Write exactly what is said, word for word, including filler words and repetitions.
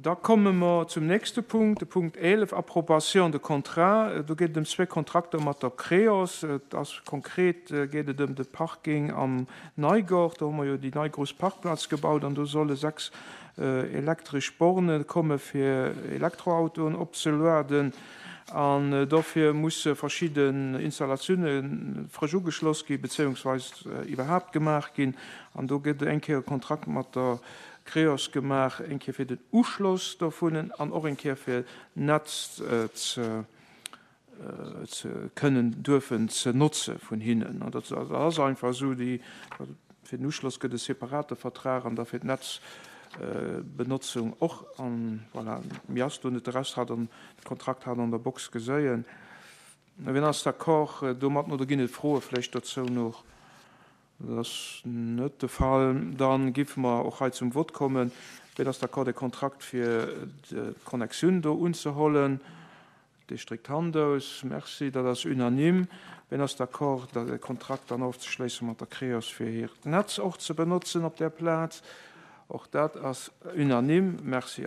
Da komme mer zum nächste Punkt, de Punkt eelef, Approbation de contrat. Do geet et ëm zwee Kontrakter mat der Creos. Et ass konkret geet et ëm de Parking am Neigort. Do hu mer jo déi nei grouss Parkplaz gebaut an do solle sechs elektresch Borne komme fir Elektroautoen opzelueden. An dofir musse verschidden Installatioune frësch ugeschloss gi bezéiungsweis iwwerhaapt gemaach ginn. An do gëtt eng Kéier e Kontrakt mat der Creos gemaach, eng Kéier fir den Uschloss dovun an och eng Kéier fir d'Netz ze ze kënnen duerfen ze notze vun hinnen. An dat ass einfach esou, déi, fir den Uschloss gëtt e separate Vertrag an da fir d'Netzbenotzung och. An voilà, mir ass do net de Rest hat an de Kontrakt hat an der Box geséien. Wien ass d'accord domat oder ginn et Froe vläicht dozou nach? Dat ass net de Fall. Da géife mer och hei zum Vott kommen. Wien ass d'accord, de Kontrakt fir d'Connexioun do unzehollen? Dee stréckt d'Hand aus. Merci, dat ass unanime. Wien ass d'accord, de Kontrakt dann ofzeschléisse mat der Creos, fir hiert Netz och ze benotzen op där Plaz? Och dat ass unanime. Merci.